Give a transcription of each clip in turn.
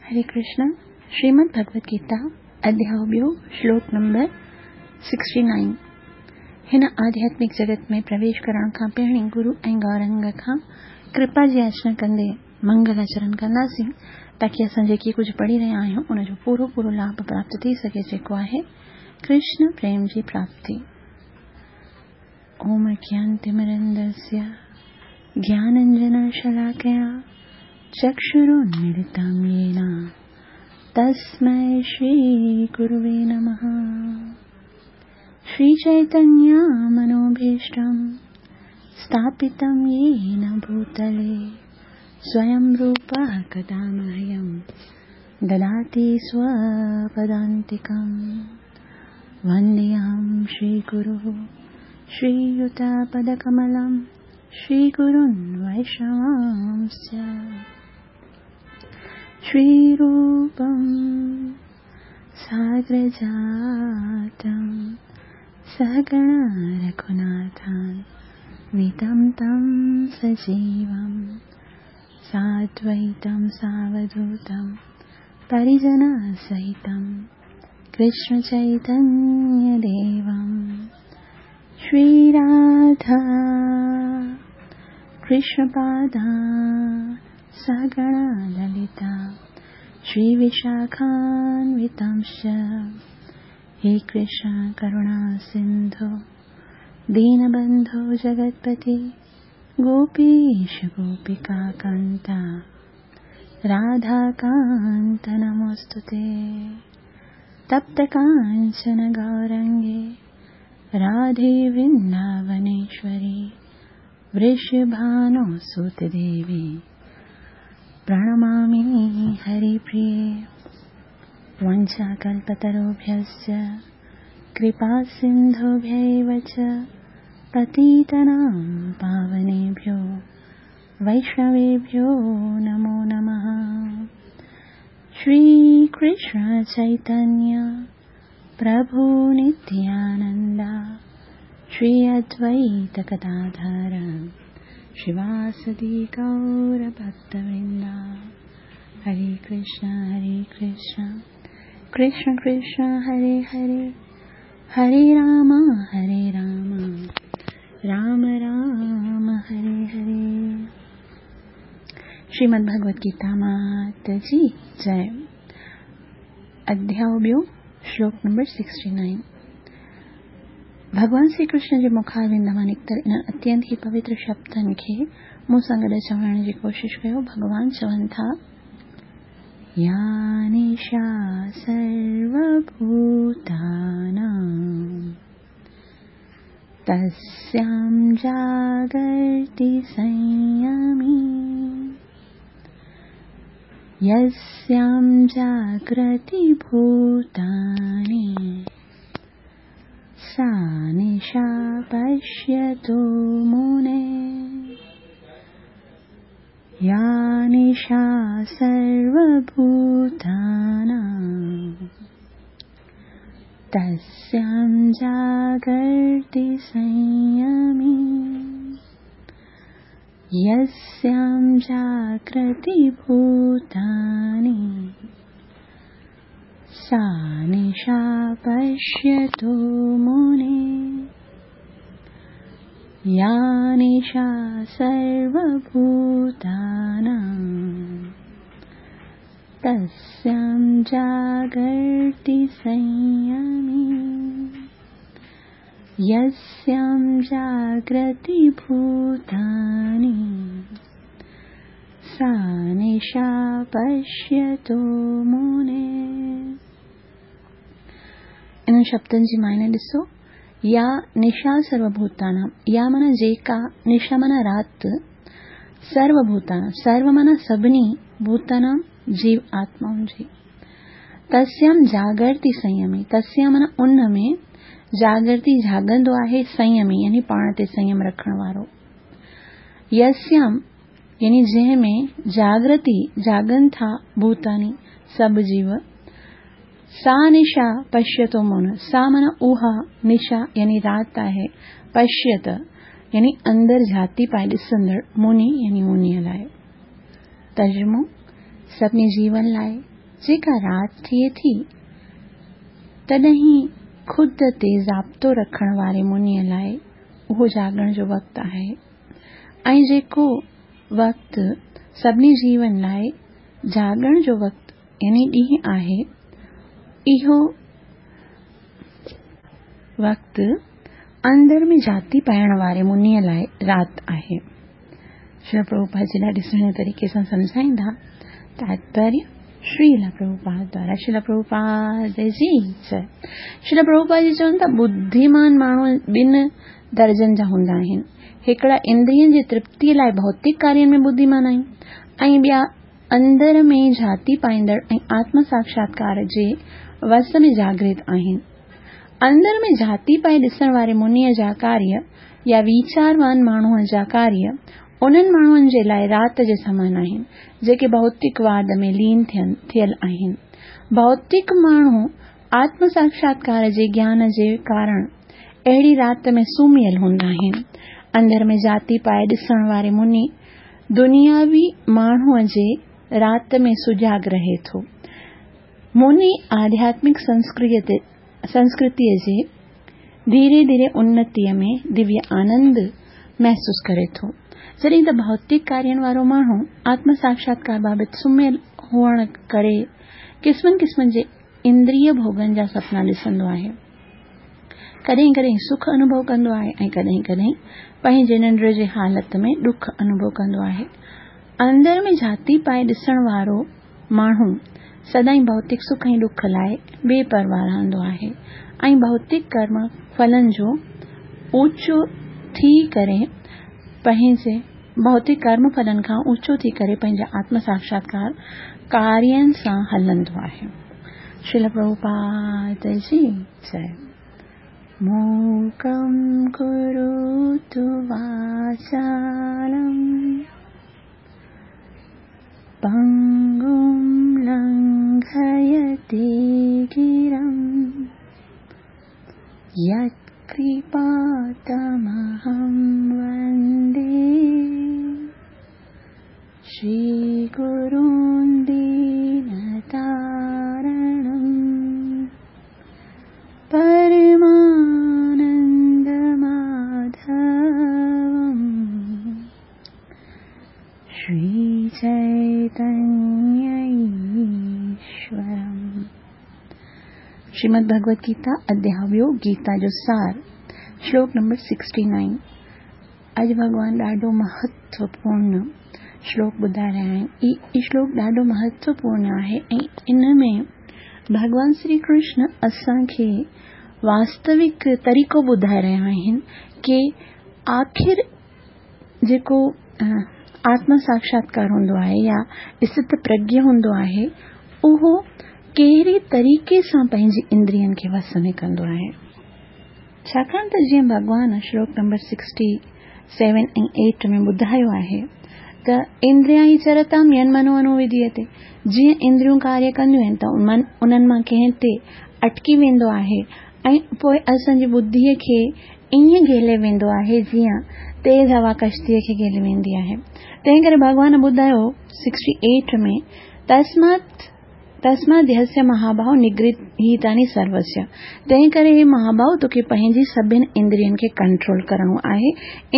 हरे कृष्ण। श्रीमद् भगवद गीता अध्याय ॿियो श्लोक नंबर 69। हिन आध्यात्मिक जगत में प्रवेश करण खां पहिरीं गुरु ऐं गौरंग खां कृपा जी याचना कंदे मंगलाचरण कंदासीं ताकी असां जेकी कुझु पढ़ी रहिया आहियूं उनजो पूरो पूरो लाभ प्राप्त थी सघे, जेको आहे कृष्ण प्रेम जी प्राप्ति। ओम अज्ञानतिमिरन्दस्य ज्ञानाञ्जनशलाकया चक्षुरुन्मीलितं येन तस्मै श्रीगुरुवे नमः। श्रीचैतन्यमनोभीष्टं स्थापितं येन भूतले स्वयं रूपः कदा मह्यं ददाति स्वपदान्तिकं। वन्देऽहं श्रीगुरुः श्रीयुतपदकमलं श्रीगुरुन् वैष्णवांश्च। श्रीरूपं साग्रजातं सहगण रघुनाथान्वितं तं सजीवं साद्वैतं सावधूतं परिजनसहितं कृष्णचैतन्यदेवं। श्रीराधा कृष्णपादा सहगण ललिता श्रीविशाखान्वितांश्च। हे कृष्ण करुणा सिन्धु दीनबन्धो जगत्पति गोपीश गोपिकान्ता राधाकान्त नमोऽस्तु ते। तप्त काञ्चन गौरङ्गे राधे वृन्दावनेश्वरी वृषभानुसुते देवी प्रणमामि हरिप्रिये। वाञ्छाकल्पतरुभ्यश्च कृपासिन्धुभ्यैव च पतितानां पावनेभ्यो वैष्णवेभ्यो नमो नमः। श्रीकृष्ण चैतन्य प्रभु नित्यानन्द श्री अद्वैत गदाधर श्रीवासदि गौरभक्तवृन्द। हरे कृष्ण कृष्ण कृष्ण हरे हरे, हरे राम राम राम हरे हरे। श्रीमद् भगवद गीता मात जी जय। अध्याय ॿियो श्लोक नंबर 69। भॻवान श्री कृष्ण जे मुखारविंद मां निकितल इन्हनि अत्यंत ई पवित्र शब्दनि खे मूं सां गॾु चवण जी कोशिशि कयो। भॻवान चवनि था, या निशा सर्वभूतानां तस्यां जागर्ति संयमी यस्यां जाग्रति भूतानि सा निशा पश्यतो मुने। या निशा सर्वभूतानां तस्यां जागर्ति संयमी यस्यां जाग्रति भूतानि सा निशा पश्यतो मुने। या निशा सर्वभूतानां तस्यां जागर्ति संयमी यस्यां जाग्रति भूतानि सा निशा पश्यतो मुने। इन्हनि शब्दनि जी मायने ॾिसो। या निशा सर्वभूतानां, या माना जेका, निशा माना राति, सर्वभूतानां, सर्व माना सभिनी, भूतानां जीव आत्माउनि जी। तस्यां जागर्ति संयमी, तस्यां माना उन में, जागर्ति जागंदो आहे, संयमी यानी पाण ते संयम रखण वारो। यस्यां यानी जंहिं में जागृति जागनि था भूतानी सभु जीव, सा निशा पश्यतो मुन, सा माना उहा, निशा यानी राति आहे, पश्यत यानी अंदरि झाती पाए ॾिसंदड़, मुनि यानी मुनीअ लाइ। तर्जुमो सभिनी जीवन लाइ جيڪا رات ٿئي ٿي، تڏهن خود تي ضابطو رکڻ واري منيء لاء اهو جاڳڻ جو وقت آهي ۽ جيڪو وقت سڀني جيون لاء جاڳڻ جو وقت يعني ڏينهن آهي، اهو وقت اندر ۾ جهاتي پائڻ واري منيء لاء رات آهي. شريلا پرڀوپاد جي ڏاڍي سهڻي طريقي سان سمجهائيندا. تاتپريه شريلا پرڀوپاد دوارا شريلا پرڀوپاد جي جئي. شريلا پرڀوپاد جي چون ٿا ٻڌيمان ماڻهو ٻن درجن جا هوندا آهن. هڪڙا اندرين جي ترپتيء لاء ڀوتڪ ڪارين ۾ ٻڌيمان آهن ۽ ٻيا اندر ۾ جهاتي پائيندڙ ۽ آتم ساکشاتڪار جي وس ۾ جاگرت آهن. اندر ۾ جهاتي پائي ڏسڻ واري منيء جا ڪاريه يا ويچاروان ماڻهوء جا ڪاريه انهن ماڻهن جي لاء رات جي سمان آهن، جيڪي ڀوتڪ واد ۾ لين ٿيل آهن. ڀوتڪ ماڻهو آتم ساکشاتڪار جي گيان جي ڪارڻ اهڙي رات ۾ سمهيل هوندا آهن. اندر ۾ جهاتي پائي ڏسڻ واري مني دنياوي ماڻهوء جي رات ۾ سجاڳ رهي ٿو. مني آڌياتمڪ سنسڪرتيء جي ڌيري ڌيري انتيء ۾ دويه آنند محسوس ڪري ٿو، جڏهن ته ڀوتڪ ڪارين وارو ماڻهو آتم ساکشاتڪار بابت سمهيل هئڻ ڪري قسمن قسمن جي اندريه ڀوڳن جا سپنا ڏسندو آهي. ڪڏهن ڪڏهن سک انوڀو ڪندو آهي ۽ ڪڏهن ڪڏهن پنهنجي ننڊ جي حالت ۾ ڏک انوڀو ڪندو آهي. اندر ۾ جهاتي پائي ڏسڻ وارو ماڻهو سدائين ڀوتڪ سک ۽ ڏک لاء بي پرواهه رهندو آهي ۽ ڀوتڪ ڪرم ڦلن جو اوچو ٿي ڪري پنهنجي ڀوتڪ ڪرم ڦلن کان اوچو ٿي ڪري پنهنجي آتم ساکشاتڪار ڪارين سان هلندو آهي. شريل پرڀوپاد جي جئي. موڪم ڪروتو واچالم. پنگم لنگهيتي گرم يتڪرپا تمهم وندي شري گرون دينتارڻم پرمانند ماڌوم شري چيتنيه ايشورم. شريمد ڀڳوت گيتا اڌياء ٻيو گيتا جو سار شلوڪ نمبر 69 اڄ ڀڳوان ڏاڍو مهتوپورڻ شلوڪ ٻڌائي رهيا آهن. هي شلوڪ ڏاڍو مهتوپورڻ آهي ۽ ان ۾ ڀڳوان شري ڪرشن اسان کي واستوڪ طريقو ٻڌائي رهيا آهن ڪي آخر جيڪو آتم ساکشاتڪار هوندو آهي يا استت پرگيه هوندو آهي اهو ڪهڙي طريقي سان پنهنجي اندرين کي وس ۾ ڪندو آهي. ڇاڪاڻ ته جيئن ڀڳوان شلوڪ نمبر سڪسٽي سيون ۽ ايٽ ۾ ٻڌايو آهي ته اندريان ئي چرتام ين منو انووديتي جيئن اندريون ڪاريه ڪنديون آهن ته من انهن مان ڪنهن تي اٽڪي ويندو آهي ۽ پوء اسان جي ٻڌيء کي ائين گهيلي ويندو آهي جيئن تيز هوا ڪشتيء کي گهيلي ويندي آهي. تنهن ڪري ڀڳوان ٻڌايو سڪسٽي ايٽ ۾ تسمات تسمادهيسيه مهاباهو نگرهيتاني سروسيه تنهن ڪري هي مهاباهو توکي پنهنجي سڀن اندرين کي ڪنٽرول ڪرڻو آهي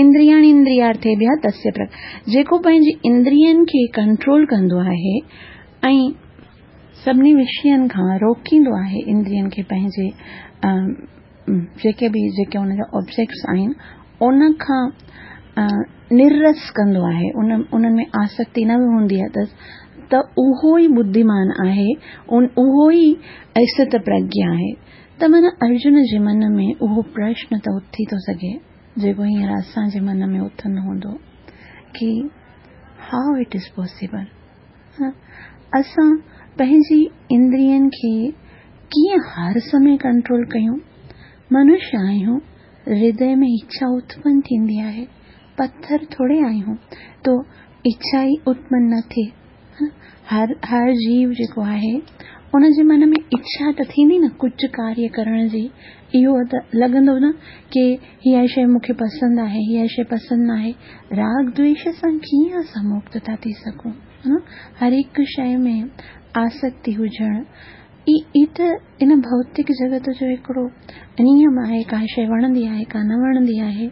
اندرياڻي اندريارٿيڀيا تسيه پرگ جيڪو پنهنجي اندرين کي ڪنٽرول ڪندو آهي ۽ سڀني وشين کان روڪيندو آهي اندرين کي پنهنجي جيڪي به جيڪي ان جا آبجيڪٽس آهن ان کان نرس ڪندو آهي ان انهن ۾ آسڪتي نه هوندي اٿس ته اهو ئي ٻڌيمان آهي اهو ئي استت پرگيا آهي ته معنيٰ ارجن جي من ۾ اهو پرشن ته اٿي ٿو سگهي جيڪو هينئر اسان جي من ۾ اٿندو هوندو ڪي how it is possible اسان پنهنجي اندرين کي ڪيئن هر سمي ڪنٽرول ڪيون؟ منشيه آهيون، هردي ۾ اڇا اتپن ٿيندي آهي، پٿر ٿوري آهيون تو اڇا ئي اتپن نه ٿئي. هر هر جيو جيڪو آهي ان جي من ۾ اڇا ته ٿيندي نه ڪجهه ڪاريه ڪرڻ جي، اهو ته لڳندو نه ڪي هيء شيء مون کي پسند آهي، هيء شيء پسند ناهي. راڳ دويش سان ڪيئن اسان مڪت ٿا ٿي سگهون؟ هر هڪ شيء ۾ آسڪتي هجڻ، هي ته ان ڀوتڪ جڳت جو هڪڙو نيم آهي، ڪا شيء وڻندي آهي، ڪا نه وڻندي آهي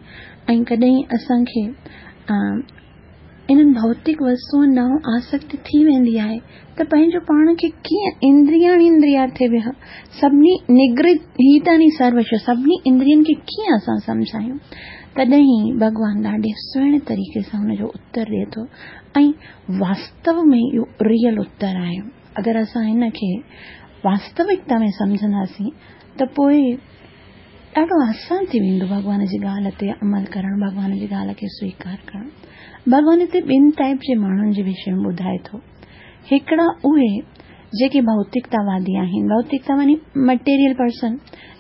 ۽ ڪڏهن اسان کي انهن ڀوتڪ وستوئن ڏانهن آسڪتي ٿي ويندي آهي ته پنهنجو پاڻ کي ڪيئن اندرياڻي اندريارٿيڀيهه سڀني نگرهيتاني سروش سڀني اندرين کي ڪيئن اسان سمجهايون؟ تڏهن ئي ڀڳوان ڏاڍي سهڻي طريقي سان ان جو اتر ڏئي ٿو ۽ واستو ۾ اهو ريئل اتر آهي. اگر اسان هن کي واستوڪتا ۾ سمجهنداسين ته پوء ڏاڍو آسان ٿي ويندو ڀڳوان جي ڳالهه تي عمل ڪرڻ، ڀڳوان جي ڳالهه کي سويڪار ڪرڻ. ڀڳوان هتي ٻن ٽائيپ جي ماڻهن جي وشي ۾ ٻڌائي ٿو. هڪڙا اهي جيڪي ڀوتڪتاوادي آهن، ڀوتڪتا معني مٽيريل پرسن،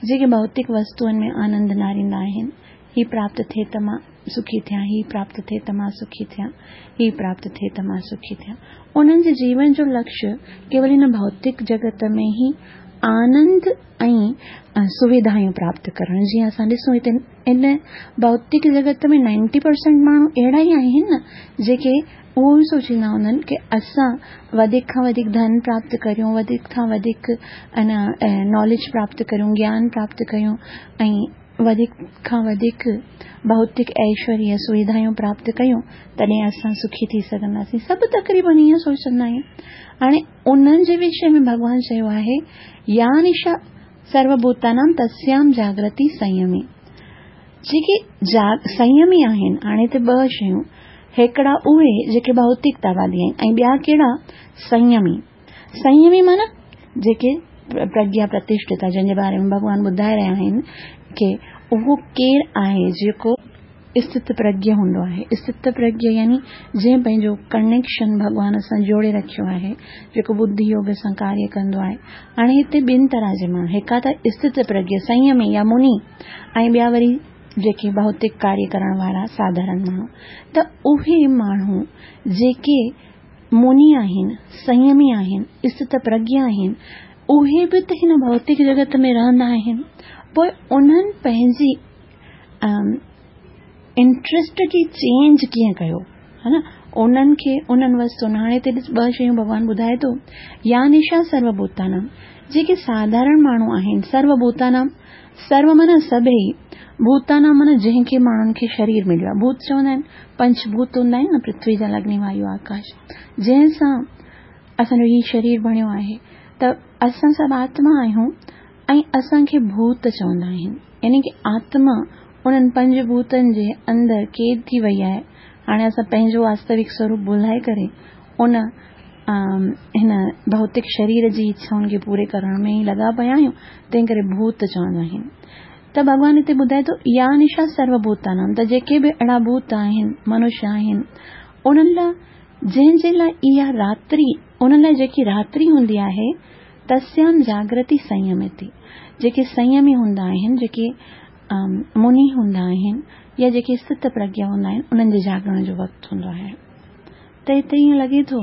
جيڪي ڀوتڪ وستوئن ۾ آنند ناريندا آهن، هي پراپت ٿئي ته مان سکي ٿيان، هي پراپت ٿئي ته مان سکي ٿيان، هي پراپت ٿئي ته مان سکي ٿيان. انهن جي جيون جو لڪش ڪيول هن ڀوتڪ جڳت ۾ ئي آنند ۽ سويڌايون پراپت ڪرڻ. جيئن اسان ڏسون هتي هن ڀوتڪ جڳت ۾ نائنٽي پرسنٽ ماڻهو اهڙا ئي آهن نه جيڪي اهو ئي سوچيندا هوندا آهن ڪي اسان وڌيڪ کان وڌيڪ ڌن پراپت ڪريون، وڌيڪ کان وڌيڪ ناليج پراپت ڪريون، گيان پراپت ڪريون ۽ وڌيڪ کان وڌيڪ ڀوتڪ ايشوريه سويڌايون پراپت ڪيون تڏهن اسان سکي ٿي سگهنداسين. سڀ تقريبن ائين سوچندا آهن. هاڻي انهن جي وشي ۾ ڀڳوان چيو آهي يا نشا سروڀوتانام تسيام جاگرتي سنيمي. جيڪي سنيمي آهن، هاڻي هتي ٻه شيون، هڪڙا اهي جيڪي ڀوتڪتاوادي آهن ۽ ٻيا ڪهڙا سنيمي. سنيمي معنيٰ جيڪي پرگيا پرتشٺت آهي، جنهن جي باري ۾ ڀڳوان ٻڌائي رهيا آهن ڪي اهو ڪير آهي جيڪو استت پرگيا هوندو آهي. استت پرگيا يعني جنهن پنهنجو ڪنيڪشن ڀڳوان سان جوڙي رکيو آهي، جيڪو ٻڌي يوگ سان ڪاريه ڪندو آهي. هاڻي هتي ٻن طرح جي ماڻهو، هڪ ته استت پرگيا سنيمي يا مني ۽ ٻيا وري جيڪي ڀوتڪ ڪاريه ڪرڻ وارا ساڌارڻ ماڻهو. ته اهي ماڻهو جيڪي مني آهن، سنيمي آهن، استت پرگيا آهن، اهي به ته هن ڀوتڪ جڳت ۾ رهندا آهن، پوء انهن پنهنجي انٽرسٽ کي چينج ڪيئن ڪيو ها نه انهن کي انهن وستن هاڻي هتي ڏس ٻه شيون ڀڳوان ٻڌائي ٿو يا نشا سرو ڀوتانام جيڪي ساڌارڻ ماڻهو آهن سرو ڀوتانام سرو معنيٰ سڀئي ڀوتانام معنيٰ جنهن کي ماڻهن کي شرير مليو آهي ڀوت چوندا آهن پنچ ڀوت هوندا آهن نه پرٿوي جل اگني وايو آڪاش جنهن سان اسان جو هي شرير بڻيو آهي ته اسان سڀ آتما آهيون ۽ اسان کي ڀوت چوندا آهن يعني ڪه آتما انهن پنج ڀوتن جي اندر قيد ٿي وئي آهي. هاڻي اسان پنهنجو واستوڪ سوروپ ڀلائي ڪري ان هن ڀوتڪ شرير جي اڇائن کي پوري ڪرڻ ۾ ئي لڳا پيا آهيون، تنهن ڪري ڀوت چوندا آهن. ته ڀڳوان هتي ٻڌائي ٿو يا نشا سرو ڀوتانام ته جيڪي به اهڙا ڀوت آهن، منش آهن، انهن لاء جنهن جي لاء اها راتري، انهن لاء جيڪي راتري هوندي آهي، تسيام جاگرتي سنيميتي، جيڪي سنيمي هوندا آهن، جيڪي مني هوندا آهن يا جيڪي استت پرگيا هوندا آهن، انهن جي جاڳڻ جو وقت هوندو آهي. ته هتي ائين لڳي ٿو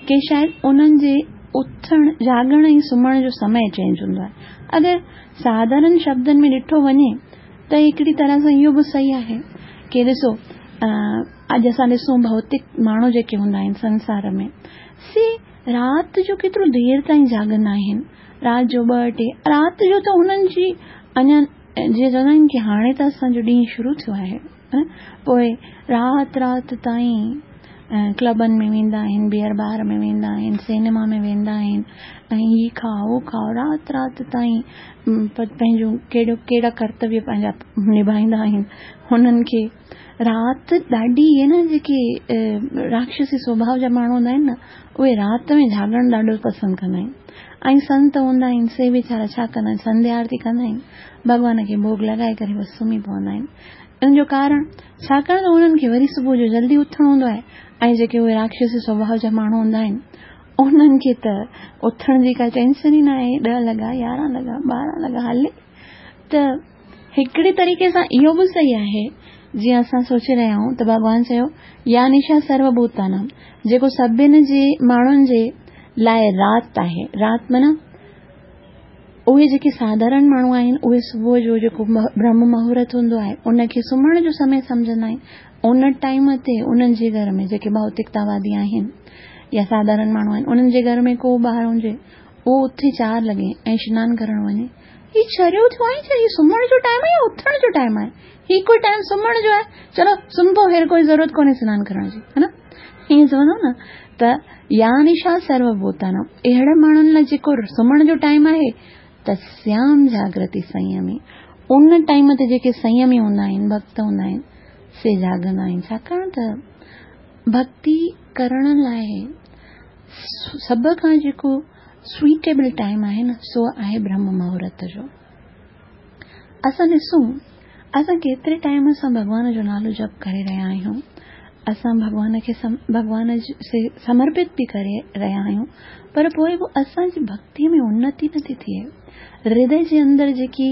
ڪي شايد انهن جي اٿڻ، جاڳڻ ۽ سمهڻ جو سمي چينج هوندو آهي. اگر ساڌارن شبدن ۾ ڏٺو وڃي ته هڪڙي طرح سان اهو به صحيح آهي ڪي ڏسو اڄ اسان ڏسون ڀوتڪ ماڻهو جيڪي هوندا آهن سنسار ۾ سي رات جو ڪيترو دير تائين جاڳندا آهن، رات جو ٻه ٽي، رات جو ته انهن جي اڃا جيئن چوندا آهن ڪي هاڻي ته اسان جو ڏينهن شروع ٿيو آهي پوء رات رات تائين ڪلبن ۾ ويندا آهن، بيئر بار ۾ ويندا آهن، سينما ۾ ويندا آهن ۽ هي کائو هو کائو رات رات تائين پنهنجون ڪهڙو ڪهڙا ڪرتويه پنهنجا نڀائيندا آهن هنن کي رات ڏاڍي اهي نه جيڪي راڪشسي سوڀاء جا ماڻهو هوندا آهن نه اهي رات ۾ جاڳڻ ڏاڍو پسند ڪندا آهن ۽ سنت هوندا آهن سي ويچارا ڇا ڪندا آهن سنڌيا آرتي ڪندا آهن ڀڳوان کي ڀوڳ لڳائي ڪري بس سمهي پوندا آهن ان جو ڪارڻ ڇاڪاڻ ته انهن کي وري صبح جو جلدي اٿڻو هوندو آهي ۽ جيڪي اهي راڪشسي سوڀاء جا ماڻهو هوندا آهن انهن کي ته اٿڻ جي ڪا ٽينشن ئي ناهي ڏهه لڳا يارهن لڳا ٻارهن لڳا هلي ته هڪڙي طريقي سان اهو به صحيح آهي، جيئن اسان سوچي رهيا آهيون ته ڀڳوان چيو، يا نشا سرو ڀوتانام، جيڪو سڀن جي ماڻهن جي لاء رات آهي. رات معنيٰ اهي جيڪي ساڌارڻ ماڻهو آهن، اهي صبح جو جيڪو برهم مهورت هوندو آهي، ان کي سمهڻ جو سمي سمجهندا آهن. ان ٽائيم تي انهن جي گهر ۾ جيڪي ڀوتڪتاوادي آهن. يا ساڌارڻ ماڻهو آهن، انهن جي گهر ۾ ڪو ٻار هجي، اهو اٿي 4 لڳي ۽ سنان ڪرڻ وڃي، هي چريو ٿيو آهي ڇا؟ هي سمهڻ جو ٽائيم آهي يا اٿڻ جو ٽائيم آهي؟ هي ڪوئي ٽائيم سمهڻ جو آهي؟ چلو سمهي پئو، هير ڪوئي ضرورت ڪونهي سنان ڪرڻ جي، ها نه؟ ائين چوندو نه ته يا نشا سرو ڀوتانام، اهڙن ماڻهن لاء جيڪو سمهڻ جو ٽائيم آهي، تسيام جاگرتي سنيمي، ان ٽائيم تي جيڪي سنيمي هوندا آهن، ڀڳت هوندا آهن، سي جاڳندا آهن، ڇاڪاڻ ته ڀڳتي ڪرڻ لاء سڀ کان جيڪو سوئيٽيبل ٽائيم آهي نه، سو آهي برهم مهورت جو. اسان ڏسون اسان ڪيتري ٽائيم سان ڀڳوان جو نالو جپ ڪري رهيا آهيون، اسان ڀڳوان کي ڀڳوان سي سمرپت به ڪري رهيا آهيون، پر پوء به اسان جي ڀڳتي ۾ انتي نٿي ٿئي. هردي جي اندر جيڪي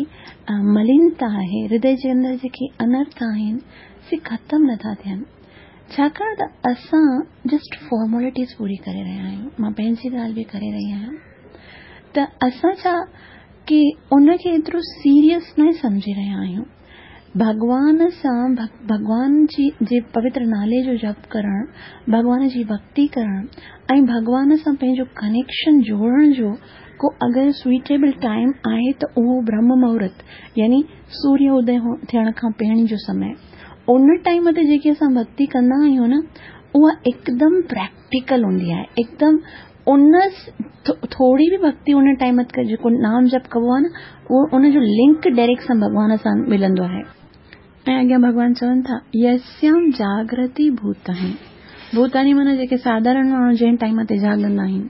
ملينتا آهي، هردي جي اندر جيڪي انرٿ آهن، سي ختم نٿا ٿين، ڇاڪاڻ ته اسان جسٽ فارملٽيز پوري ڪري رهيا آهيون. مان پنهنجي ڳالهه به ڪري رهي آهيان ته اسان ڇا ڪي ان کي ايترو سيريس نه سمجهي رهيا آهيون. ڀڳوان سان ڀڳوان جي پوتر نالي جو جپ ڪرڻ، ڀڳوان جي ڀڳتي ڪرڻ ۽ ڀڳوان سان پنهنجو ڪنيڪشن جوڙڻ جو ڪو اگر سوئيٽيبل ٽائيم آهي ته اهو برهم مهورت يعني سوريه ادي ٿيڻ کان پهرين جو سمي. ان ٽائيم تي جيڪي اسان ڀڳتي ڪندا آهيون نه، اها هڪدم پريڪٽيڪل هوندي آهي. هڪدم ان ٿوري به ڀڳتي ان ٽائيم تي جيڪو نام جپ ڪبو آهي نه، اهو ان جو لنڪ ڊائريڪٽ سان ڀڳوان سان ملندو آهي. ۽ اڳيان ڀڳوان چون ٿا، يسيام جاگرتي ڀوتاني. ڀوتاني معنيٰ جيڪي ساڌارڻ ماڻهو جنهن ٽائيم تي جاڳندا آهن،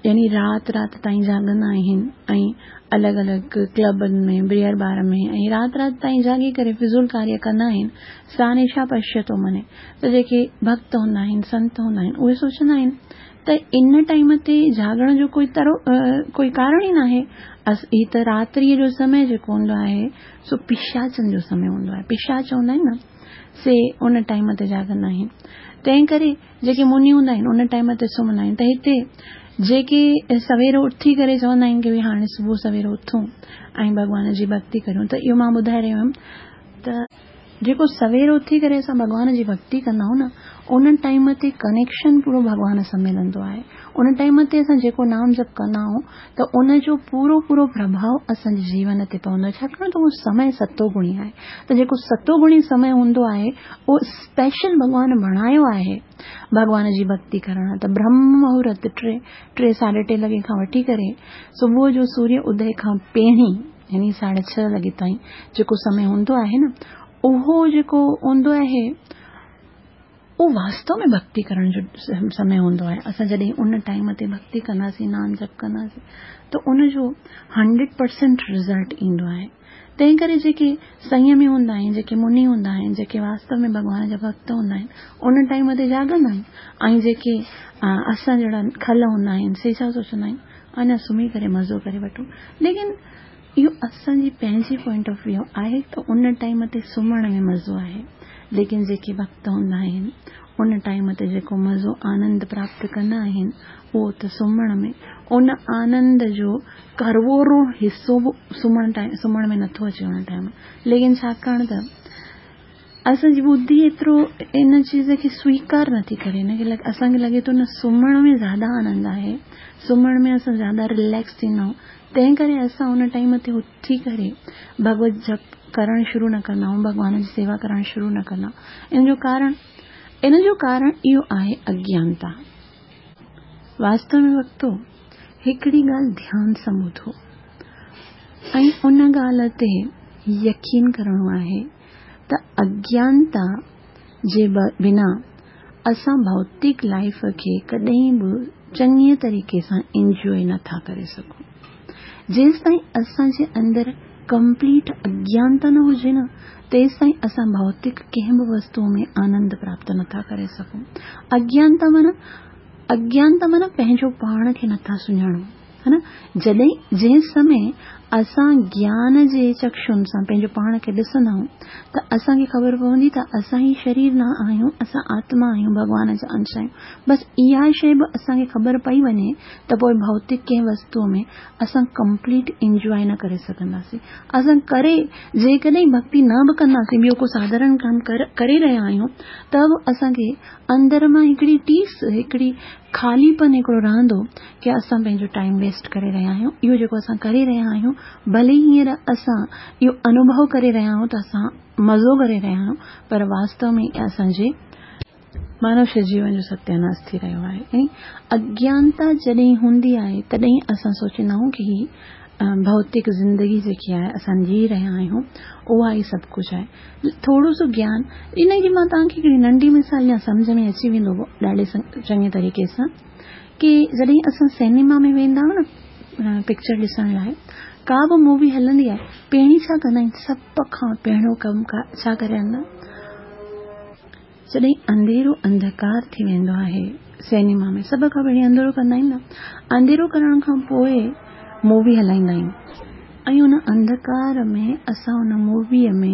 يعني رات رات تائين جاڳندا آهن ۽ الڳ الڳ ڪلبن ۾، بيئر بار ۾ ۽ رات رات تائين جاڳي ڪري فضول ڪاريه ڪندا آهن، سا نشا پشيتو مني. ته جيڪي ڀڳت هوندا آهن، سنت هوندا آهن، اهي سوچندا آهن ته ان ٽائيم تي جاڳڻ جو ڪوئي ترو ڪوئي ڪارڻ ئي ناهي. هي ته راتريء جو سمي جيڪو هوندو آهي سو پشاچن جو سمي هوندو آهي. پشاچ هوندا آهن نه، سي ان ٽائيم تي جاڳندا آهن. تنهن ڪري جيڪي مني هوندا آهن ان ٽائيم تي سمهندا آهن. ته هتي جيڪي سوير اٿي ڪري چوندا آهن ڪي ڀئي هاڻي صبح سوير اٿون ۽ ڀڳوان جي ڀڳتي ڪريون، ته اهو مان ٻڌائي رهيو هيم ته جيڪو سوير اٿي ڪري اسان ڀڳوان جي ڀڳتي ڪندا آهيون نه، ان ٽائيم تي ڪنيڪشن پورو ڀڳوان سان ملندو آهي. ان ٽائيم تي اسان جيڪو نام جپ ڪندا آهيون ته ان جو پورو پورو پرڀاء اسان جي جيون تي پوندو آهي، ڇاڪاڻ ته اهو سمي ستو گڻي آهي. ته جيڪو ستو گڻي سمي هوندو آهي اهو اسپيشل ڀڳوان بڻايو آهي ڀڳوان جي ڀڳتي ڪرڻ. ته برهم مهورت ٽي ساڍي ٽي لڳي کان وٺي ڪري صبح جو سوريه ادي کان پهرين يعني ساڍي ڇهه لڳي تائين جيڪو سمي هوندو آهي نه، اهو جيڪو هوندو آهي اهو واستو ۾ ڀڳتي ڪرڻ جو سمي هوندو آهي. اسان جڏهن ان ٽائيم تي ڀڳتي ڪنداسين، نام جپ ڪنداسين ته ان جو 100% رزلٽ ايندو آهي. تنهن ڪري جيڪي سنيمي هوندا آهن، جيڪي مني هوندا آهن، جيڪي واستو ۾ ڀڳوان جا ڀڳت هوندا آهن، ان ٽائيم تي جاڳندا آهن ۽ جيڪي اسان جهڙا کل هوندا آهن سي ڇا سوچندا آهن، اڃا سمهي ڪري مزو ڪري وٺون. ليڪن اهو اسان جي پنهنجي پوائنٽ آف ويو آهي ته ان ٽائيم تي سمهڻ ۾ مزو آهي، ليڪن جيڪي ڀڳت هوندا آهن ان ٽائيم تي جيڪو مزو آنند پراپت ڪندا آهن اهو ته سمهڻ ۾ ان آنند جو ڪروڙون حصو به سمهڻ ۾ نٿو اچي ان ٽائيم. ليڪن ڇاڪاڻ ته اسان جي ٻڌي ايترو ان چيز کي سويڪار نٿي ڪري، ان کي اسان کي لڳي ٿو نه سمهڻ ۾ زياده آنند آهي، سمهڻ ۾ اسان زياده رليڪس ٿيندا آهيون، تنهن ڪري اسان ان ٽائيم تي اٿي ڪري ڀڳوت جپ ڪرڻ شروع نه ڪندا آهيون، ڀڳوان جي سيوا ڪرڻ شروع نه ڪندا آهيون. ان جو ڪارڻ اهو آهي اگيانتا. واستو ۾ وقتو هڪڙي ڳالهه ڌيان سان ٻڌو ۽ ان ڳالهه تي يقين ڪرڻو آهي ته اگيانتا جي بنا اسان ڀوتڪ لائيف کي ڪڏهن به چڱي طريقي سان انجوائي نه ٿا ڪري سگهون. جيستائين اسان جي اندر ڪمپليٽ اگيانتا نه هجي نه، تيستائين اسان ڀوتڪ ڪنهن به وستوء ۾ آنند پراپت نه ٿا ڪري سگهون. اگيانتا معنيٰ پنهنجو پاڻ کي نه ٿا سڃاڻون. ها نه؟ جڏهن جنهن سمي اسان گيان جي چڪشن سان پنهنجو پاڻ کي ڏسندا آهيون ته اسان کي خبر پوندي ته اسان هي شرير نه آهيون، اسان آتما آهيون، ڀڳوان جا انش آهيون. بس اها شيء به اسان کي خبر پئي وڃي ته پوء ڀوتڪ ڪنهن وستوء ۾ اسان ڪمپليٽ انجواء نه ڪري سگهنداسين. اسان ڪري جيڪڏهن ڀڳتي نه به ڪنداسين، ٻيو ڪو ساڌارڻ ڪم ڪري رهيا آهيون ته به اسان کي اندر مان هڪڙي ٽيس، هڪڙي خالي پن هڪڙو رهندو ڪي اسان پنهنجو ٽائيم ويسٽ ڪري رهيا آهيون، اهو جيڪو اسان ڪري رهيا آهيون ڀلي هينئر اسان اهو انوڀو ڪري رهيا آهيون ته اسان مزو ڪري رهيا آهيون پر واستو ۾ اسان جي مانوشيه جيون جو ستياناس ٿي رهيو آهي. يعني اگيانتا جڏهن هوندي آهي تڏهن اسان سوچيندا آهيون ڪي هي ڀوتڪ زندگي جيڪي آهي اسان جي رهيا آهيون اها ئي سڀ ڪجهه آهي. ٿورو سو گيان ان جي مان توهان کي هڪڙي ننڍي مثال ڏيان سمجهه ۾ اچي ويندو ڏاڍي چڱي طريقي سان ڪي جڏهن اسان سئنيما ۾ ويندا آهيون نه پڪچر ڏسڻ لاء ڪا به مووي هلندي آهي پهرين ڇا ڪندا آهن سڀ کان پهريون ڪم ڇا ڪري هلندا جڏهن انڌيرو انڌڪار ٿي ويندو آهي سئنيما ۾ سڀ کان پهرين انڌيرو ڪندا آهن نه انڌيرو ڪرڻ کان پوء مووي هلائيندا آهن ۽ ان انڌڪار ۾ اسان ان موويء ۾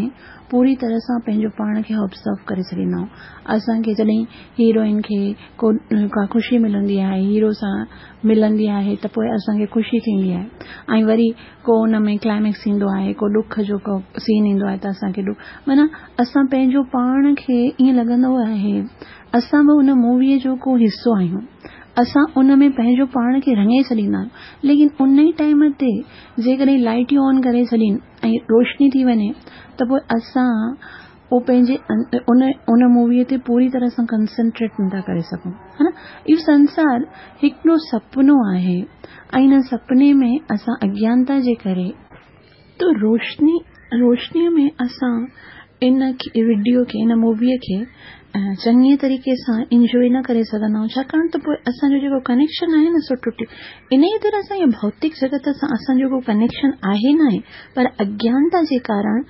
پوري طرح سان پنهنجو پاڻ کي آبزرو ڪري ڇڏيندا آهيون اسان کي جڏهن هيروئن کي ڪو ڪا خوشي ملندي آهي هيرو سان ملندي آهي ته پوء اسان کي خوشي ٿيندي آهي ۽ وري ڪو ان ۾ ڪلائميڪس ايندو آهي ڪو ڏک جو ڪو سين ايندو آهي ته اسان کي ڏک معنيٰ اسان پنهنجو پاڻ کي ائين لڳندو آهي اسان به ان موويء جو ڪو حصو آهيون اسان ان ۾ پنهنجو پاڻ کي رڱي ڇڏيندا آهيون ليڪن ان ئي ٽائيم تي جيڪڏهن لائٽيون آن ڪري ڇڏين ۽ روشني ٿي وڃي ته پوء اسان اهو پنهنجي ان ان موويء تي پوري طرح سان ڪنسنٽريٽ نٿا ڪري سگهون ها نه اهو سنسار هڪڙو سپنو آهي ۽ ان سپني ۾ اسان اگيانتا جي ڪري ته روشني روشنيء ۾ اسان ان وڊيو کي ان موويء کي چڱي طريقي سان انجوائي نه ڪري سگهندا آهيون ڇاڪاڻ ته پوء اسان جو جيڪو ڪنيڪشن آهي نه سو ٽٽي انهيء طرح سان اهو ڀوتڪ جڳت سان اسان جو ڪو ڪنيڪشن آهي ناهي پر اگيانتا جي ڪارڻ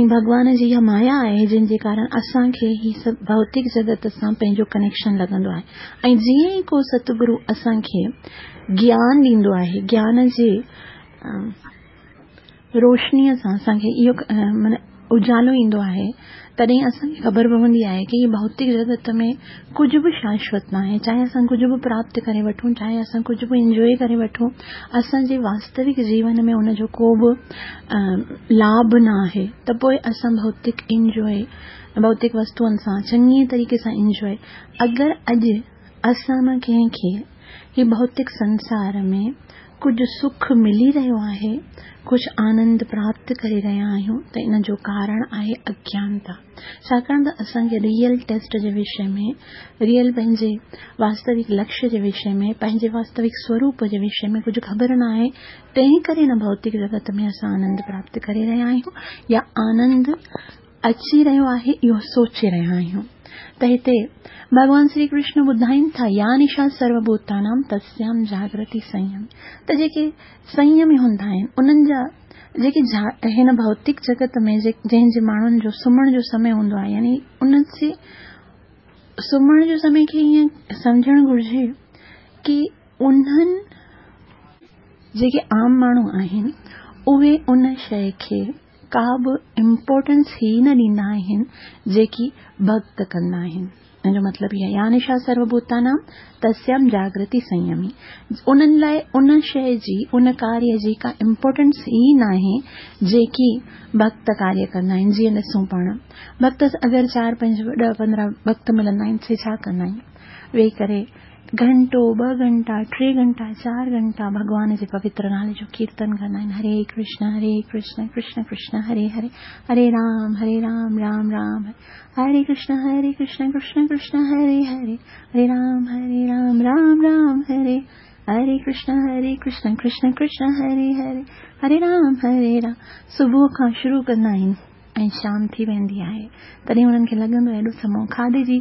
۽ ڀڳوان جي اها مايا آهي جنهن جي ڪارڻ اسان کي هي سڀ ڀوتڪ جڳت سان پنهنجو ڪنيڪشن لڳندو آهي ۽ جيئن ئي ڪو ستگرو اسان کي گيان ڏيندو آهي گيان جي روشنيء سان اسان کي اهو معنيٰ اجالو ايندو آهي تڏهن اسان کي خبر پوندي آهي ڪي هي ڀوتڪ جڳت ۾ ڪجهه به شاشوت ناهي چاهي اسان ڪجهه به پراپت ڪري وٺون چاهي اسان ڪجهه به انجوائي ڪري وٺون اسان جي واستوڪ جيون ۾ ان جو ڪو به لاڀ نه آهي ته پوء اسان ڀوتڪ انجوائي ڀوتڪ وستوئن سان چڱي طريقي سان انجوائي اگر اڄ اسان مان ڪنهن کي هي ڀوتڪ سنسار ۾ ڪجهه سک ملي رهيو آهي، ڪجهه آنند پراپت ڪري رهيا آهيون ته ان جو ڪارڻ آهي اگيانتا. ڇاڪاڻ ته اسان کي ريئل ٽيسٽ جي وشي ۾، ريئل پنهنجي واستوڪ لڪشيه جي وشي ۾، پنهنجي واستوڪ سوروپ جي وشي ۾ ڪجهه خبر نه آهي، تنهن ڪري هن ڀوتڪ جڳت ۾ اسان آنند پراپت ڪري رهيا آهيون يا آنند اچي رهيو آهي اهو سوچي رهيا آهيون ته هتي ڀڳوان شري ڪرشن ٻڌائين ٿا يا نشا سرو ڀوتانام تسيام جاگرتي سنيم ته جيڪي سنيمي هوندا آهن انهن جا جيڪي هن ڀوتڪ جڳت ۾ جنهن جي ماڻهن جو سمهڻ جو سمي هوندو آهي يعني انهن جي سمهڻ جو سمي کي ائين سمجهڻ گهرجي ڪي انهن جيڪي عام ماڻهو آهن اهي ان شيء کي ڪا به امپورٽنس ئي نه ڏيندا آهن جيڪي ڀڳت ڪندا آهن. ان جو مطلب هي آهي يا نشا سرو ڀوتانام تسيام جاگرتي سنيمي انهن لاء ان شيء جي ان ڪاريه جي ڪا امپورٽنس ئي ناهي جيڪي ڀڳت ڪاريه ڪندا آهن جيئن ڏسون پاڻ ڀڳت اگر چار پنج ڏهه پندرهن ڀڳت ملندا آهن سي ڇا ڪندا آهن ويهي ڪري گهنٽو، ٻه گهنٽا، ٽي گهنٽا، چار گهنٽا ڀڳوان جي پوتر نالي جو ڪيرتن ڪندا آهن، هري ڪرشن هري ڪرشن ڪرشن ڪرشن هري هري، هري رام هري رام رام رام هري هري ڪرشن هري ڪرشن ڪرشن ڪرشن هري هري، هري رام هري رام رام رام هري هري ڪرشن هري ڪرشن ڪرشن ڪرشن هري هري، هري رام هري رام صبح کان شروع ڪندا آهن. ۽ شام ٿي ويندي آهي تڏهن انهن کي لڳندو آهي ايڏو سمو کاڌي جي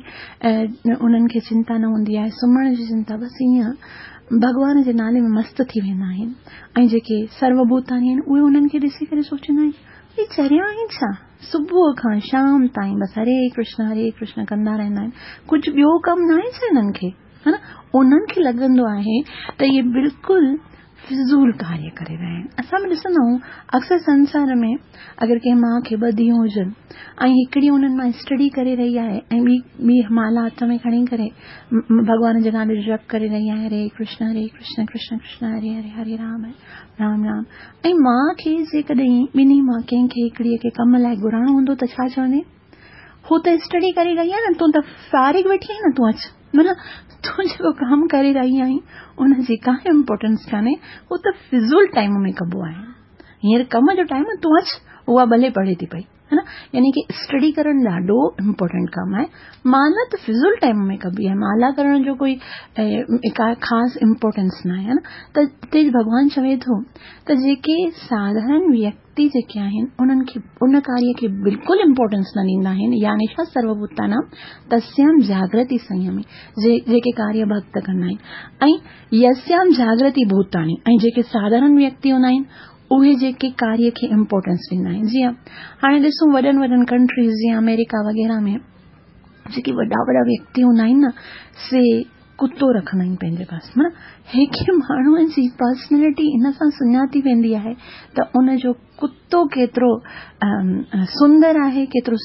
انهن کي چنتا نه هوندي آهي سمهڻ جي چنتا بس ائين ڀڳوان جي نالي ۾ مست ٿي ويندا آهن ۽ جيڪي سرو ڀوتاني آهن اهي انهن کي ڏسي ڪري سوچيندا آهن هي چريا آهن ڇا صبح کان شام تائين بس هري ڪرشن هري ڪرشن ڪندا رهندا آهن ڪجهه ٻيو ڪم ناهي ڇا هنن کي ها نه انهن کي لڳندو آهي ته اهي بلڪل فضول ڪاريه ڪري رهيا آهن. اسان به ڏسندا آهيون اڪثر سنسار ۾ اگر ڪنهن ماء کي ٻه ڌيئون هجن ۽ هڪڙي انهن مان اسٽڊي ڪري رهي آهي ۽ ٻي ٻي مالا هٿ ۾ کڻي ڪري ڀڳوان جي نالي جو جپ ڪري رهي آهي هري ڪرشن هري ڪرشن ڪرشن ڪرشن هري هري هري رام رام رام ۽ ماء کي جيڪڏهن ٻنهي مان ڪنهن کي هڪڙي کي ڪم لاء گهرائڻو هوندو ته ڇا چوندي؟ هو ته اسٽڊي ڪري رهي آهي نه تون ته فارغ ويٺي آهين نه تون اچ معنيٰ تون جيڪو ڪم ڪري رهي آهين ان جي ڪا امپورٽنس ڪانهي هو ته فضول ٽائيم ۾ ڪبو آهي هينئر ڪم جو ٽائيم تون اچ اها ڀلي پڙهي ٿي پئي ها نه يعني ڪي اسٽڊي ڪرڻ ڏاڍو امپورٽنٽ ڪم آهي مالا ته فضول ٽائيم ۾ ڪبي آهي مالا ڪرڻ جو ڪوئي ڪا خاص امپورٽنس نه آهي نه ته هتي ڀڳوان چوي ٿو ته جيڪي ساڌارڻ ويڪتي جيڪي آهن انهن کي ان ڪاريه کي بلڪل امپورٽنس نه ڏيندا آهن يا نشا سروڀوتانام تسيام جاگرتي سنيمي جيڪي ڪاريه ڀڳت ڪندا آهن ۽ يسيام جاگرتي ڀوتاني ۽ جيڪي ساڌارڻ ويڪتي هوندا آهن اهي جيڪي ڪاريه کي امپورٽنس ڏيندا آهن جيئن هاڻي ڏسون وڏن وڏن ڪنٽريز جيئن آمريڪا وغيره ۾ جيڪي وڏا وڏا ويڪتي هوندا آهن نه سي ڪتو رکندا آهن پنهنجي پاس معنيٰ هڪ ماڻهوء جي پرسنلٽي ان سان سڃاتي ويندي آهي ته ان جو ڪتو ڪيترو سندر آهي ڪيترو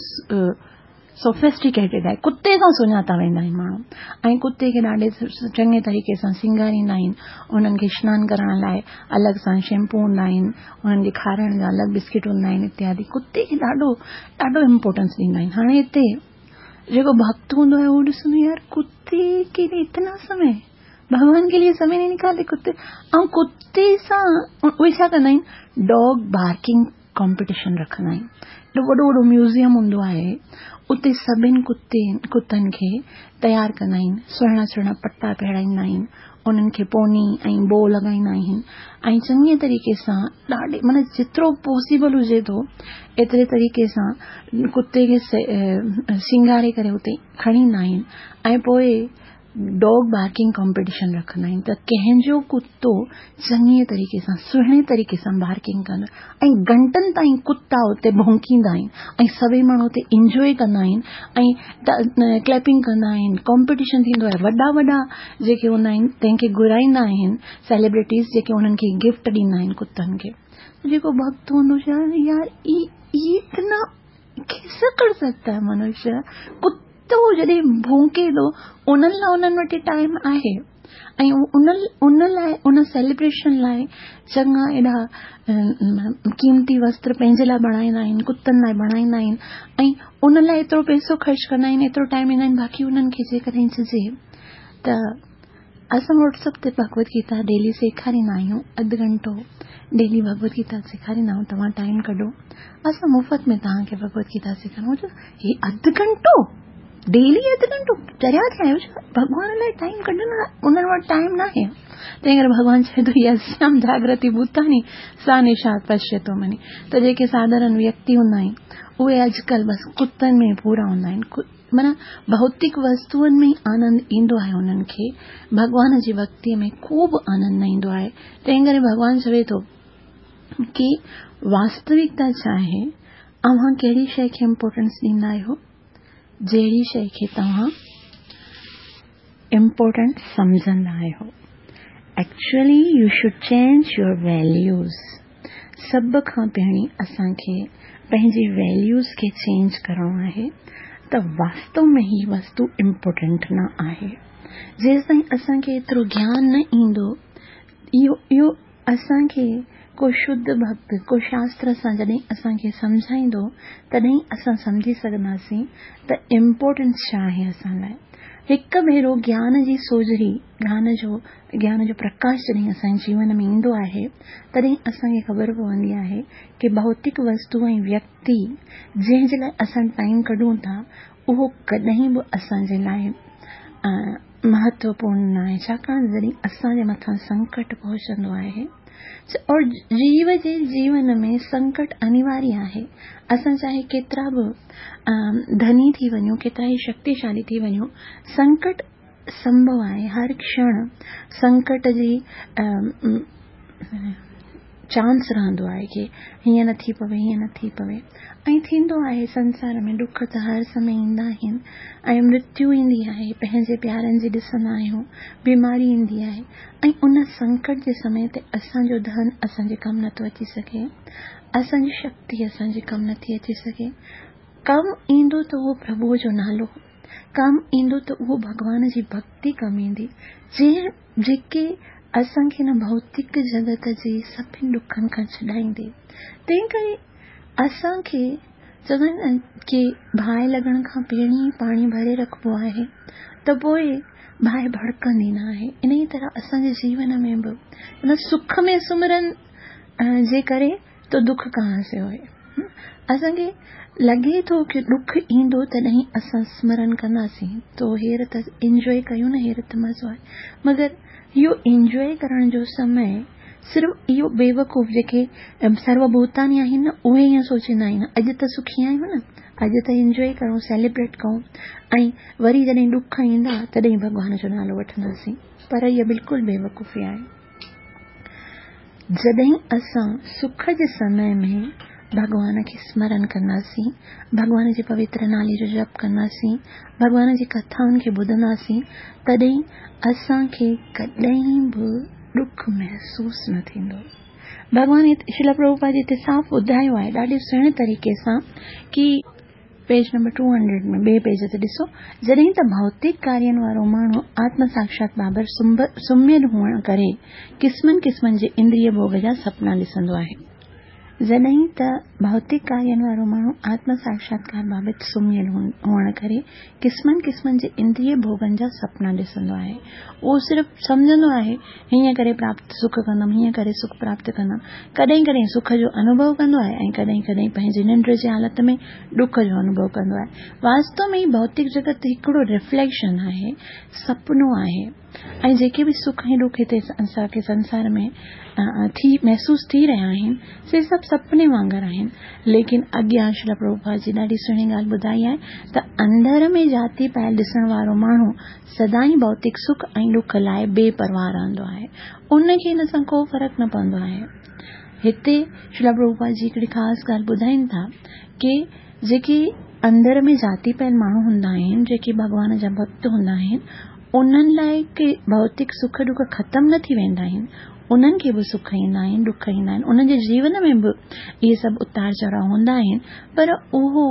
سوفسٽيڪيٽيڊ آهي ڪتي سان سڃاتا ويندا آهن ماڻهو ۽ ڪتي کي ڏاڍي چڱي طريقي سان سينگاريندا آهن انهن کي سنان ڪرڻ لاء الڳ سان شيمپو هوندا آهن انهن کي کارائڻ جا الڳ بسڪٽ هوندا آهن اتيادي ڪتي کي ڏاڍو ڏاڍو امپورٽنس ڏيندا آهن هاڻي هتي جيڪو ڀڳت هوندو آهي اهو ڏسندو يار ڪتي ڪي لئي اتنا سمي ڀڳوان ڪي لئي سمي نهين نڪالتي ڪتي ۽ ڪتي سان اهي ڇا ڪندا آهن ڊاگ بارڪنگ ڪامپيٽيشن رکندا آهن. ايڏو وڏو وڏو ميوزيم هوندو آهي اتي سڀن ڪتي ڪتن کي تيار ڪندا آهن سهڻا سهڻا پٽا پهرائيندا آهن انهن کي پوني ۽ بو لڳائيندا آهن ۽ چڱي طريقي سان ڏاڍي معنيٰ جيترو پاسيبل هجي ٿو ايتري طريقي سان ڪتي کي سينگاري ڪري اتي کڻي ايندا آهن ۽ پوء ڊاگ بارڪنگ ڪامپيٽيشن رکندا آهن ته ڪنهن جو ڪتو چڱي طريقي سان سهڻي طريقي سان بارڪنگ ڪندو ۽ گهنٽن تائين ڪتا اتي ڀونڪيندا آهن ۽ سڀئي ماڻهو اتي انجوائي ڪندا آهن ۽ ڪليپنگ ڪندا آهن ڪامپيٽيشن ٿيندو آهي وڏا وڏا جيڪي هوندا آهن تنهن کي گهرائيندا آهن سيليبرٽيز جيڪي انهن کي گفٽ ڏيندا آهن ڪتن کي جيڪو ڀڳت هوندو يار اتنا ڪيسي ڪر سگتا هي منشيه ڪتو جڏهن ڀونڪي ٿو انهن لاء انهن وٽ ٽائيم آهي ۽ ان ان لاء ان سيليبريشن لاء چڱا ايڏا قيمتي وستر پنهنجي لاء بڻائيندا آهن ڪتن لاء بڻائيندا آهن ۽ ان لاء ايترو پئسو خرچ ڪندا آهن ايترو ٽائيم ڏيندا آهن باقي انهن کي جيڪڏهن چئجي ته اسان واٽس اپ تي ڀڳوت گيتا ڊيلي سيکاريندا آهيون اڌ گهنٽو ڊيلي ڀڳوت گيتا سيکاريندا آهيون توهان ٽائيم ڪڍو اسان مفت ۾ توهان کي ڀڳوت گيتا سيکاريون هي اڌ گهنٽو ڊيلي اڌ گهنٽو چريا ٿيا آهيو ڇا ڀڳوان لاء ٽائيم ڪڍڻ انهن وٽ ٽائيم ناهي تنهن ڪري ڀڳوان چئي ٿو يسيام جاگرتي ڀوتاني سا نشا پشيتو مني ته جيڪي ساڌارڻ ويڪتي هوندا آهن اهي اڄڪلهه بس ڪتن ۾ پورا هوندا آهن معنيٰ ڀوتڪ وستوئن ۾ ئي آنند ايندو آهي انهن کي ڀڳوان جي ڀڳتيء ۾ ڪو به آنند نه ايندو آهي. تنهن ڪري ڀڳوان چوي ٿو ڪي واستوڪتا ڇا آهي؟ اوهان ڪهڙي شيء کي امپورٽنس ڏيندا آهيو؟ جهڙي شيء کي توهان امپورٽنٽ سمجهندا آهيو. Actually you should change your values. سڀ کان پهرين اسان کي پنهنجي ويليوز کي چينج ڪرڻو آهي ته واستو ۾ هي وستو امپورٽنٽ نه آهي. جيستائين اسان کي ايترو گيان نه ايندو اهو اهو اسان کي ڪو شڌ ڀڳت ڪو شاستر سان جڏهن اسان کي سمجهائيندو تڏهن اسان سمجهي سگهنداسين ته امپورٽنس ڇا آهي اسان لاء. هڪ ڀيرو گيان جي سوجهري گيان جو گيان جو پرڪاش جڏهن اسان جي جيون ۾ ايندو آهي تڏهن اسان کي خبر پوندي آهي ڪي ڀوتڪ وستو ۽ ويڪتي جنهن جي لاء اسان ٽائيم ڪڍون ٿا اهو ڪڏهن به اسان جي لاء مهتوپورڻ ناهي ڇاڪاڻ جڏهن اسان جي مٿان سنڪٽ پهچندو آهي اور جيو جي جيون ۾ سنڪٽ انيواري آهي اسان چاهي ڪيترا به ڌني ٿي وڃون ڪيترا ئي شڪتيشالي ٿي وڃون سنڪٽ سنڀو آهي، هر ڪشڻ سنڪٽ جي چانس رهندو آهي ڪي هيئن نه ٿي پوي هيئن نه ٿي پوي ۽ ٿيندو آهي سنسار ۾ ڏک ته هر سمي ايندا آهن ۽ مرتيو ايندي آهي پنهنجي پيارن جي ڏسندا آهيون بيماري ايندي آهي ۽ ان سنڪٽ جي سمي تي اسان جو ڌن اسان جي ڪم نٿو اچي سگهي اسان جي شڪتي اسان جي ڪم نٿي اچي سگهي ڪم ايندو ته اهو پرڀوء جو نالو ڪم ايندو ته اهو ڀڳوان جي ڀڳتي ڪم ايندي جنهن جيڪي اسان کي هن ڀوتڪ جڳت جي سڀني ڏکن کان ڇڏائيندي. تنهن ڪري اسان کي چوندا آهن نه ڪي باهه لڳڻ کان پهرين ئي پاڻي ڀري رکبو آهي ته پوء باهه ڀڙڪندي نه آهي. انهيء طرح اسان جي جيون ۾ به ان سک ۾ سمرن جي ڪري تو دک ڪهان سي هوئي. اسان کي لڳي ٿو ڪي ڏک ايندو تڏهن اسان سمرن ڪنداسين تو هير ته انجوائي ڪيون نه هير ته مزو آهي مگر اهو انجوائي ڪرڻ جو سمي صرف اهو بيوقوف جيڪي سرو ڀوتاني آهن نه اهي ائين سوچيندا آهن اڄ ته سکي آهيون نه اڄ ته انجوائي ڪرون سيليبريٽ ڪئون ۽ وري جڏهن ڏک ايندا تڏهن ڀڳوان جو نالو وٺنداسين پر اها بلڪل بيوقوفي آهي. جڏهن اسان سک جي سمي ۾ ڀڳوان کي سمرن ڪنداسين، ڀڳوان جي پوتر نالي جو جپ ڪنداسين، ڀڳوان جي ڪٿائن کي ٻڌنداسين، تڏهن اسان کي ڪڏهن به ڏک محسوس نه ٿيندو. ڀڳوان شريلا پرڀوپاد جي هتي صاف ٻڌايو آهي ڏاڍي سهڻي طريقي سان ڪي پيج نمبر ٽو هنڊريڊ ۾ ٻئي پيج تي ڏسو، جڏهن ته ڀوتڪ ڪارين وارو ماڻهو آتم ساکشات بابت سمهيل هئڻ ڪري قسمن قسمن جي اندريه ڀوڳ جا سپنا ڏسندو آهي. جڏهن ته ڀوتڪ ڪارين وارو ماڻهو آتم ساکشاتڪار بابت سمهيل هئڻ ڪري قسمن قسمن جي اندريه ڀوڳن جا سپنا ڏسندو آهي. اهو صرف سمجهندو آهي هيئن ڪري پراپت سک ڪندم، هيئن ڪري سک پراپت ڪندم. ڪڏهن ڪڏهن سک جو انوڀو ڪندو آهي ۽ ڪڏهن ڪڏهن پنهنجي ننڊ جي حالت ۾ ڏک جو انوڀو ڪندو آهي. واستو ۾ هي ڀوتڪ جڳت هڪڙو رفليڪشن آهي، سپنو آهي ۽ جيڪي به سک ۽ ڏک هتي اسان کي سنسار ۾ ٿي محسوس ٿي رهيا آهن، سي سڀ سپني وانگر آهن. ليڪن اڳيان شريلا پرڀوپاد جي ڏاڍي سهڻي ڳالهه ٻڌائي آهي ته اندر ۾ جهاتي پايل ڏسڻ وارو ماڻهو سدائين ڀوتڪ سک ۽ ڏک لاء بي پرواهه رهندو آهي. ان کي ان سان ڪو فرق نه پوندو آهي. هتي شريلا پرڀوپاد جي هڪڙي خاص ڳالهه ٻڌائين ٿا ڪي جيڪي اندر ۾ جهاتي پيل ماڻهو هوندا آهن، جيڪي ڀڳوان جا ڀڳت هوندا آهن، انهن لاء ڪي ڀوتڪ سک ڏک ختم نه ٿي ويندا آهن. انهن کي به سک ايندا آهن، ڏک ايندا آهن، انهن جي جيون ۾ به اهي سڀ اتار چڙهاء هوندا آهن، پر اهو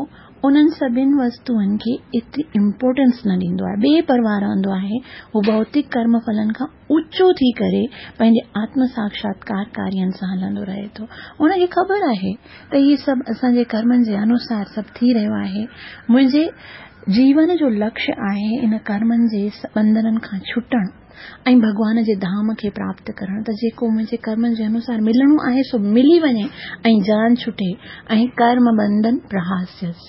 انهن سڀن وستوئن کي ايتري امپورٽنس نه ڏيندو آهي، بي پرواهه رهندو آهي، هو ڀوتڪ ڪرم ڦلن کان اوچو ٿي ڪري پنهنجي آتم ساکشاتڪار ڪارين سان هلندو رهي ٿو. ان کي خبر آهي ته هي سڀ اسان جي ڪرمن جي انوسار سڀ ٿي رهيو آهي، منهنجي جيون جو لڪشيه آهي ان ڪرمن جي ٻنڌنن کان ڇٽڻ. ۽ ڀڳوان جي ڌام کي پراپت ڪرڻ ته جيڪو منهنجي ڪرمن جي انوسار ملڻو آهي سو ملي وڃي ۽ جان ڇٽي ۽ ڪرم بنڌن پرهاسيس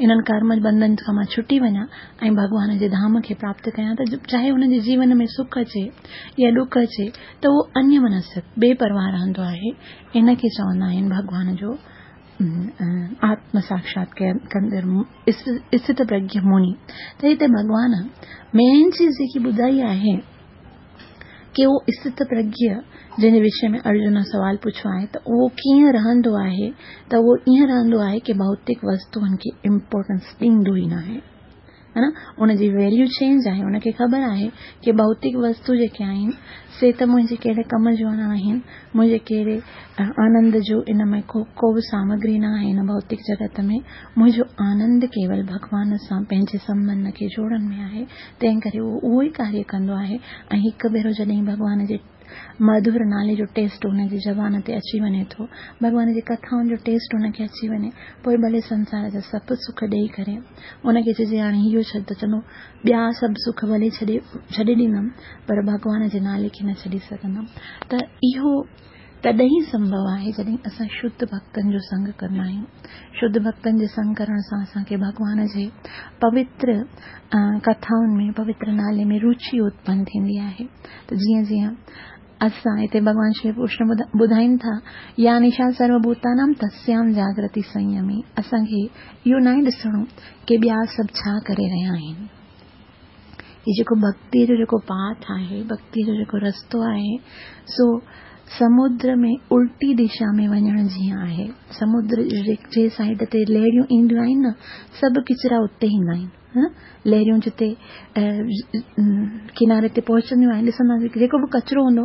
انهن ڪرم بنڌن کان مان ڇٽي وڃان ۽ ڀڳوان جي ڌام کي پراپت ڪيان ته چاهي انهن جي جيون ۾ سک اچي يا ڏک اچي ته اهو انيه منسڪ بي پرواهه رهندو آهي ان کي چوندا آهن ڀڳوان جو آتم ساکشات ڪندڙ اسٿت پرگيه مني ته هتي ڀڳوان مين چيز جيڪي ٻڌائي آهي ڪي اهو اسٿت پرگيه جنهن جي وشي ۾ ارجن سوال پڇيو آهي ته اهو ڪيئن رهندو آهي ته اهو ائين رهندو آهي ڪي ڀوتڪ وستوئن کي امپورٽنس ڏيندو ئي ناهي ها نه ان جي ويليو چينج آهي ان کي خبر آهي ڪي ڀوتڪ وستو جيڪي آهن سي ته منهنجي ڪهڙي ڪم جون نه آهن منهنجي ڪهڙي آنند جو ان ۾ ڪو ڪو به سامگري نه آهي ان ڀوتڪ جڳت ۾ منهنجو آنند ڪيول ڀڳوان سان پنهنجي سنٻنڌ کي جوڙڻ ۾ آهي تنهن ڪري اهو اهو ئي ڪاريه ڪندو آهي ۽ هڪ ڀيرو جڏهن ڀڳوان جي مڌر نالي جو ٽيسٽ هن جي زبان تي اچي وڃي ٿو. ڀڳوان جي ڪٿائن جو ٽيسٽ هن کي اچي وڃي. پوء ڀلي سنسار جا سڀ سک ڏيئي ڪري هن کي چئجي هاڻي اهو ڇڏ ته چوندو ٻيا سڀ سک ڀلي ڇڏي ڇڏي ڏيندم پر ڀڳوان جي نالي کي نه ڇڏي سگهندم ته اهو تڏهن ئي سنڀو آهي جڏهن اسان شڌ ڀڳتن جو سنگ ڪندا آهيون. شڌ ڀڳتن جي سنگ ڪرڻ سان اسان کي ڀڳوان جي پوتر ڪٿائن ۾ پوتر نالي ۾ روچي اتپن ٿيندي آهي ته جيئن جيئن اسان هتي ڀڳوان شري ڪرشن ٻڌائين ٿا يا نشا سرو ڀوتانام تسيام جاگرتي سنيمي اسان کي اهو ناهي ڏسڻو ڪي ٻيا سڀ ڇا ڪري رهيا آهن. هي جيڪو ڀڳتيء جو جيڪو پاٿ آهي، ڀڳتيء جو جيڪو رستو آهي، سو سمنڊ ۾ الٽي دشا ۾ وڃڻ جيئن آهي. سمنڊ جي سائيڊ تي لهريون اينديون آهن نه، سڀ ڪچرا اتي ايندا آهن. لهريون جتي ڪناري تي پهچنديون آهن، ڏسنداسين جيڪو به ڪچرو هوندو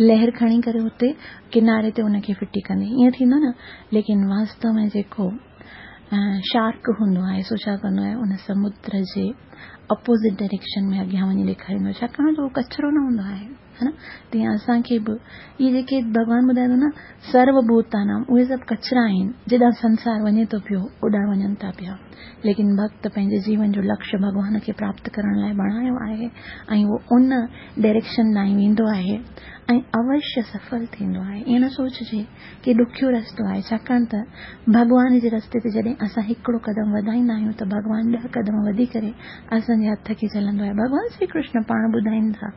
لهر کڻي ڪري اتي ڪناري تي ان کي ڦٽي ڪندي، ائين ٿيندو نه. ليڪن واستو ۾ جيڪو شارڪ هوندو آهي سو ڇا ڪندو آهي، ان سمنڊ جي اپوزٽ ڊائريڪشن ۾ اڳيان وڃي ڏيکاريندو آهي، ڇاڪاڻ جو اهو ڪچرو نه هوندو آهي. ها نه؟ تيئن اسان کي به اهي جيڪي ڀڳوان ٻڌائي ٿو نه سرو ڀوتانام، اهي سڀ ڪچرا آهن، جيڏانهن سنسار وڃي ٿو پيو اوڏانهن وڃن ٿا پيا. ليڪن ڀڳت پنهنجي جيون جو لڪشيه ڀڳوان کي پراپت ڪرڻ لاء بڻايو آهي ۽ اهو ان ڊائريڪشن ڏانهن ويندو آهي ۽ اوشيه سڦل ٿيندو آهي. ائين نه سوچجي ڪي ڏکيو رستو آهي، ڇاڪاڻ ته ڀڳوان جي رستي تي جڏهن اسان هڪڙو قدم وڌائيندا آهيون ته ڀڳوان ڏهه قدم وڌي ڪري اسان جي هٿ کي جهلندو آهي. ڀڳوان شري ڪرشن پاڻ ٻڌائين ٿا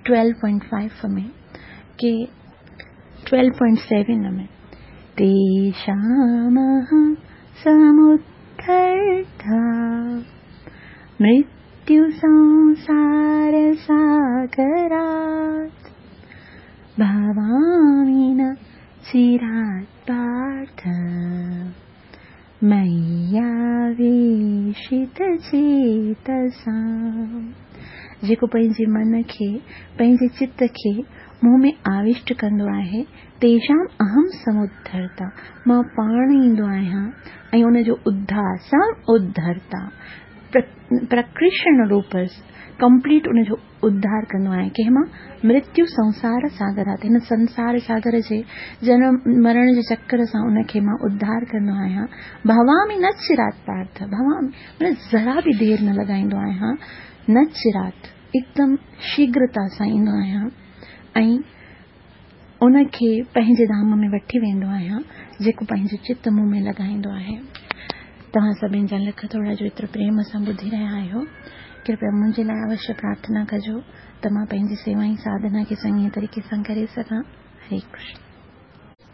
12.5 ۾ ڪي 12.7 ۾ تيشام سمڌرتا مرتيو سنسار ساگرات ڀوامي نه چرات پارٿ مياويشت چيتسام. جيڪو پنهنجي من کي، پنهنجي چت کي مون ۾ آوشٽ ڪندو آهي، تيشام اهم سمڌرتا، مان پاڻ ايندو آهيان ۽ ان جو اڌار، سم اڌرتا، پرڪرشڻ روپ، ڪمپليٽ ان جو اڌار ڪندو آهيان. ڪنهن مان؟ مرتيو سنسار ساگرات، هن سنسار ساگر جي جنم مرڻ جي چڪر سان ان کي مان اڌار ڪندو آهيان. ڀوامي نه چرات پارٿ، ڀوامي معنيٰ ذرا به دير نه لڳائيندو آهيان، نه چرات، هڪدم شيگرتا سان ايندو آهيان ۽ ان کي پنهنجي ڌام ۾ وٺي ويندو آهيان، جيڪو پنهنجو چت مون ۾ لڳائيندو آهي. توهان سڀني جا لک ٿورا جو ايترو پريم سان ٻڌي رهيا آهيو. ڪرپيا منهنجي لاء اوشيه پرارٿنا ڪجو ته مان پنهنجي سيوا ۽ ساڌنا کي چڱي طريقي سان ڪري سگهان. هري ڪرشن.